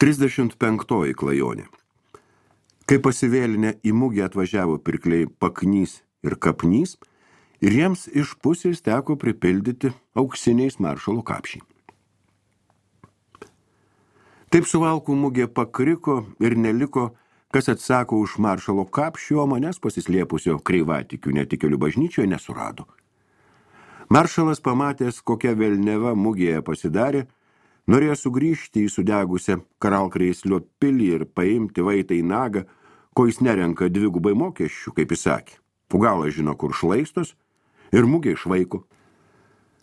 35 klajonė. Kai pasivėlinę į mugę atvažiavo pirkliai Paknys ir Kapnys, ir jiems iš pusės teko pripildyti auksiniais maršalo kapšiai. Taip Suvalkų mugė pakriko ir neliko, kas atsako už maršalo kapšį, o manęs pasislėpusio kreivatikių netikėlių bažnyčioje nesurado. Maršalas pamatęs, kokia velneva mugėje pasidarė, norėjo sugrįžti į sudegusią Karalkrėslio pilį ir paimti vaitą į nagą, ko jis nerenka dvigubai mokesčių, kaip jis sakė. Pugalas žino, kur šlaistos ir mugė išvaiko.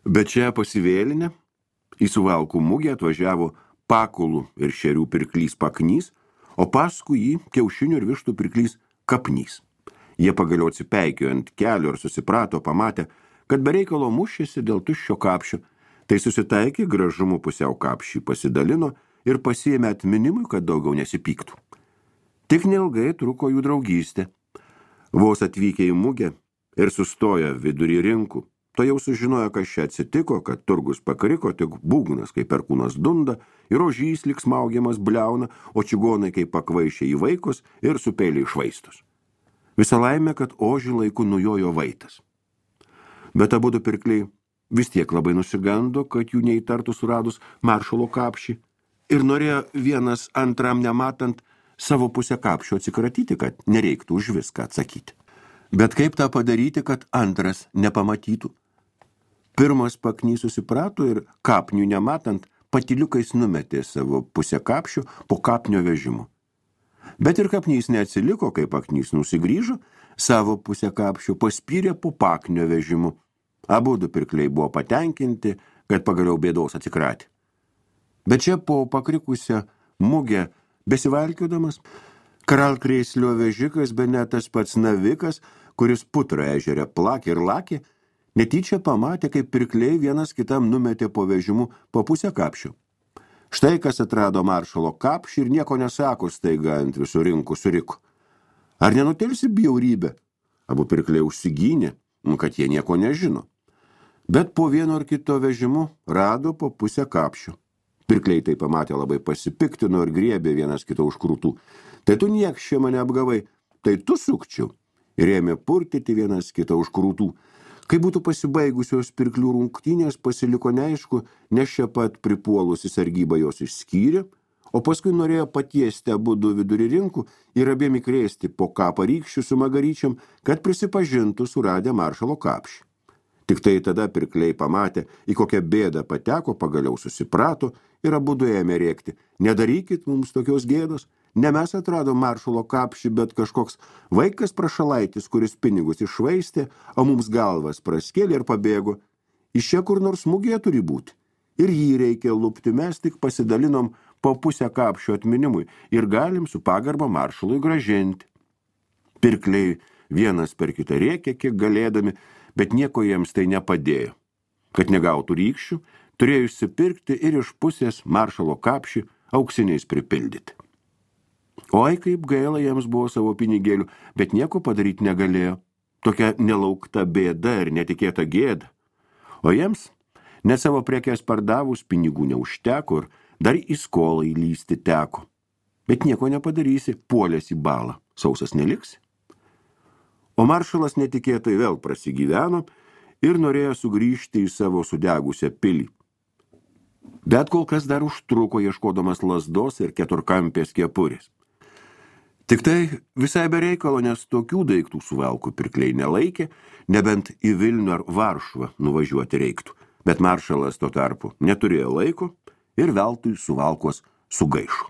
Bet čia pasivėlinę į Suvalkų mugę atvažiavo Pakulų ir šerių pirklys Paknys, o paskui jį kiaušinių ir vištų pirklys Kapnys. Jie pagaliau atsipeikėjo ant kelio ir susiprato, pamatė, kad be reikalo mušėsi dėl tuščio kapšio. Tai susitaikė, gražumu pusiau kapšį pasidalino ir pasiėmė atminimui, kad daugiau nesipyktų. Tik neilgai truko jų draugystė. Vos atvykę į mugę ir sustojo vidury rinkų, to jau sužinojo, kas čia atsitiko, kad turgus pakriko, tik būgnas, kaip perkūnas dunda, ir ožys lyg smaugiamas bliauna, o čigonai kaip pakvaišė į vaikus ir su peiliai švaistos. Visa laimė, kad ožį laiku nujojo vaitas. Bet abudu pirkliai vis tiek labai nusigando, kad jų neįtartų suradus maršalo kapšį, ir norėjo vienas antram nematant savo pusę kapšio atsikratyti, kad nereiktų už viską atsakyti. Bet kaip tą padaryti, kad antras nepamatytų? Pirmas Paknys susiprato ir kapnių nematant patyliukais numetė savo pusę kapšio po kapnio vežimu. Bet ir Kapnys neatsiliko, kai Paknys nusigrįžo, savo pusę kapšio paspyrė po paknio vežimu. Abudu pirkliai buvo patenkinti, kad pagaliau bėdos atsikratė. Bet čia po pakrikusią mugę besivalkiodamas, Karalkrėslio vežikas, be net tas pats navikas, kuris Putrą ežere plakė ir lakė, netyčia pamatė, kaip pirkliai vienas kitam numetė po vežimu po pusę kapšio. Štai kas atrado maršalo kapšį ir nieko nesako staiga ant visų rinkų suriko. Ar nenutelsi bjaurybę? Abu pirkliai užsigynė, kad jie nieko nežino. Bet po vieno ar kito vežimu rado po pusę kapšio. Pirkliai tai pamatė labai pasipiktino ir griebė vienas kito už krūtų. Tai tu niekšė mane apgavai, tai tu sukčiau. Ir ėmė purtyti vienas kitą už krūtų. Kai būtų pasibaigusios pirklių rungtynės, pasiliko neaišku, nes čia pat pripuolusi sargyba jos išskyrė, o paskui norėjo patiesti abudu vidury rinkų ir abiem įkrėsti po kapą rykščių su magaryčiam, kad prisipažintų suradę maršalo kapšį. Tik tai tada pirkliai pamatė, į kokią bėdą pateko, pagaliau susiprato ir abudu ėmė rėkti. Nedarykit mums tokios gėdos, ne mes atradom maršalo kapšį, bet kažkoks vaikas prašalaitis, kuris pinigus iššvaistė, o mums galvas praskėlė ir pabėgo. Iš čia kur nors mugėje turi būti. Ir jį reikia lupti, mes tik pasidalinom po pusę kapšio atminimui ir galim su pagarba maršalui gražinti. Pirkliai vienas per kitą rėkė, kiek galėdami, bet nieko jiems tai nepadėjo. Kad negautų rykščių, turėjo išsipirkti ir iš pusės maršalo kapšį auksiniais pripildyti. Oi, kaip gaila jiems buvo savo pinigėlių, bet nieko padaryti negalėjo. Tokia nelaukta bėda ir netikėta gėda. O jiems net savo prekes pardavus pinigų neužteko ir dar į skolą įlysti teko. Bet nieko nepadarysi, puolės į balą, sausas neliksi. O maršalas netikėtai vėl prasigyveno ir norėjo sugrįžti į savo sudegusią pilį. Bet kol kas dar užtruko ieškodamas lazdos ir keturkampės kepurės. Tik tai visai be reikalo, nes tokių daiktų Suvalkų pirkliai nelaikė, nebent į Vilnių ar Varšuvą nuvažiuoti reiktų. Bet maršalas tuo tarpu neturėjo laiko ir veltui Suvalkos sugaišo.